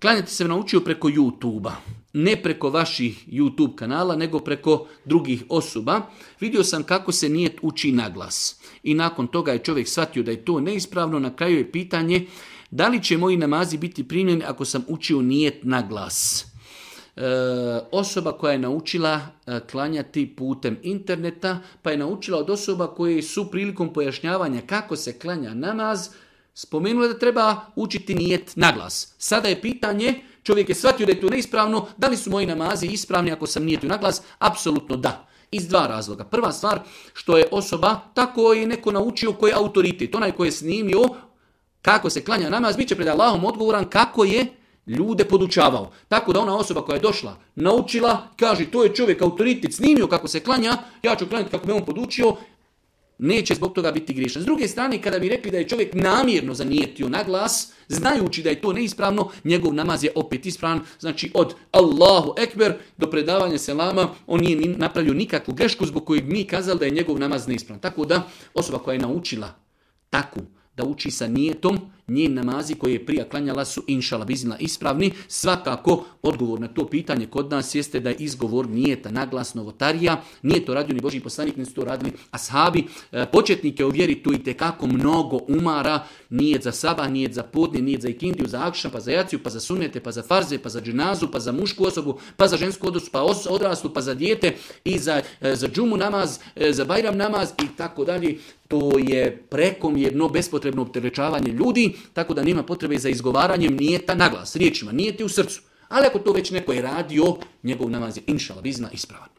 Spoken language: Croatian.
klanjati se naučio preko YouTube-a. Ne preko vaših YouTube kanala, nego preko drugih osoba. Vidio sam kako se nijet uči na glas. I nakon toga je čovjek shvatio da je to neispravno. Na kraju je pitanje da li će moji namazi biti primljeni ako sam učio nijet na glas. Osoba koja je naučila klanjati putem interneta, pa je naučila od osoba koje su prilikom pojašnjavanja kako se klanja namaz, spomenula da treba učiti nijet na glas. Sada je pitanje, čovjek je shvatio da je to neispravno, da li su moji namazi ispravni ako sam nijetio na glas? Apsolutno da. Iz dva razloga. Prva stvar, što je osoba, tako je neko naučio koji je autoritet. Onaj koji je snimio kako se klanja namaz, bit će pred Allahom odgovoran kako je ljude podučavao. Tako da ona osoba koja je došla, naučila, kaže to je čovjek autoritet, snimio kako se klanja, ja ću klanjati kako me on podučio, neće zbog toga biti griješan. S druge strane, kada bi rekli da je čovjek namjerno zanijetio na glas, znajući da je to neispravno, njegov namaz je opet ispravan. Znači od Allahu Ekber do predavanja selama, on nije napravio nikakvu grešku zbog kojeg mi kazali da je njegov namaz neispravan. Tako da osoba koja je naučila tako da uči sa nijetom, njen namazi koje je prije klanjala su inšala biznila ispravni. Svakako odgovor na to pitanje kod nas jeste da je izgovor nijeta naglas novotarija. Nije to radio ni Božji poslanik, ne su to radili ashabi. Početnike u vjeri tu itekako mnogo umara. Nijet za sabah, nijet za podne, nijet za ikindiju, za akšan, pa za jaciju, pa za sunnete, pa za farze, pa za dženazu, pa za mušku osobu, pa za žensku osobu, pa odraslu, pa za dijete i za džumu namaz, za bajram namaz i tako dalje. To je prekomjerno bespotrebno opterećavanje ljudi, tako da nema potrebe za izgovaranjem nijeta naglas, riječima, nijeti u srcu. Ali ako to već neko je radio, njegov namaz je inšala bizna ispravan.